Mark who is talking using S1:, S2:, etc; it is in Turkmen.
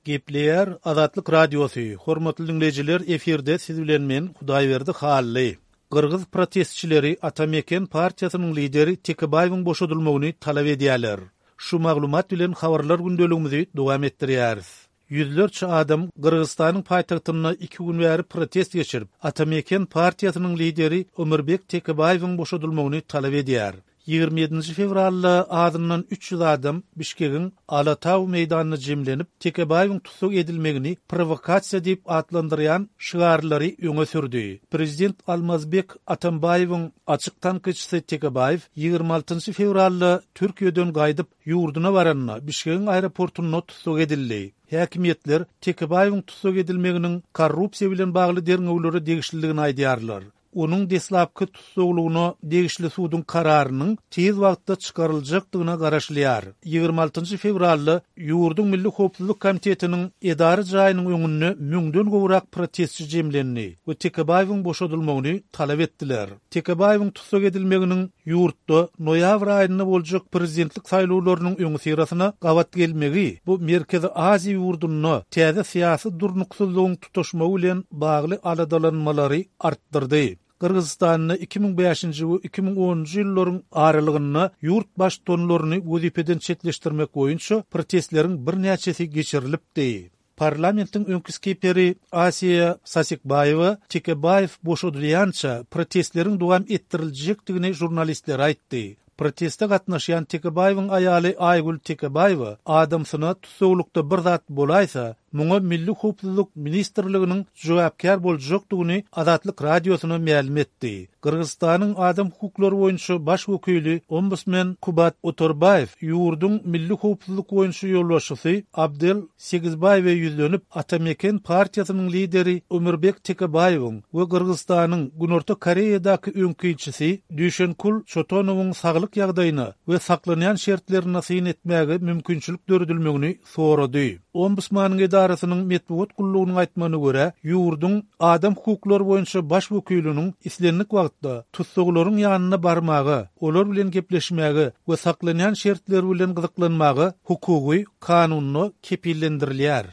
S1: Gepleýär Azatlyk Radiosy, Hormatly diňleýjiler efirde siz bilen men Hudaýberdi Hally. Gyrgyz protestçileri Ata Meken partiýasynyň lideri Tekebaýewiň boşadylmagyny talap edýärler. Şu maglumat bilen habarlar gündeligimizi dowam etdirýäris. Ýüzlerçe adam Gyrgyzystanyň paýtagtynda iki gün bäri protest geçirip, Ata Meken partiýasynyň lideri Ömürbek Tekebaýewiň boşadylmagyny talap edýär. 27-nji fewralda azyndan 300 adam Bişkegiň Alatau meýdanynda jemlenip, Tekebaýewiň tussag edilmegini prowokasiýa diýip atlandyrýan şygarlary öňe sürdi. Prezident Almazbek Atambaýewiň açyk tankytçysy Tekebaýew 26-njy fewralda Türkiýeden gaýdyp, ýurduna baranda, Bişkegiň aeroportunda tussag edildi. Häkimiýetler Tekebaýewiň tussag edilmeginiň korrupsiýa bilen bagly derňewlere degişlidigini aýdýarlar. Onuň deslapky tussaglygyna degişli suduň kararynyň tiz wagtda çykaryljakdygyna garaşylýar. 26-njy fewralda ýurduň Milli howpsuzlyk komitetiniň edara jaýynyň öňünde müňden gowrak protestçi jemlendi we Tekebaýewiň boşadylmagyny talap etdiler. Tekebaýewiň tussag edilmeginiň ýurtda noýabr aýynda boljak prezidentlik saýlawlarynyň öňüsyrasyna gabat gelmegi bu Merkezi Aziýa ýurdunda täze syýasy durnuksyzlygyň tutaşmagy bilen bagly aladalanmalary artdyrdy. Gyrgyzystanda 2005-nji we 2010-njy ýyllaryň aralygynda ýurt baştutanlaryny wezipeden çetleşdirmek boýunça protestleriň birnäçesi geçirilipdi. Parlamentiň öňki spikeri Asiýa Sasikbaýewa Tekebaýew boşadylýança protestleriň dowam etdiriljekdigini žurnalistlere aýtdy. Proteste gatnaşýan Tekebaýewiň aýaly Aýgül Tekebaýewa adamsyna tussaglykda bir zat bolaýsa, muňa Milli howpsuzlyk ministrliginiň jogapkär boljakdygyny Azatlyk Radiosyna mälim etdi. Gyrgyzystanyň adam hukuklary boýunça baş wekili ombudsmen Kubat Otorbaýew ýurduň milli howpsuzlyk boýunça ýolbaşçysy Abdel Segizbaýewe ýüzlenip, Ata Meken partiýasynyň lideri Ömürbek Tekebaýewiň we Gyrgyzystanyň Günorta Koreýadaky öňki ilçisi Düýşenkul Çotonowyň saglyk ýagdaýyna we saklanýan şertlerine syn etmäge mümkinçilik döredilmegini sorady. Ombudsmanyň edarasynyň metbugat gullugynyň aýtmagyna görä, ýurduň adam hukuklary boýunça baş wekiliniň islendik wagtda tussaglaryň ýanyna barmaga, olar bilen gepleşmäge we saklanýan şertleri bilen gyzyklanmaga hukugy kanunda kepillendirilýär.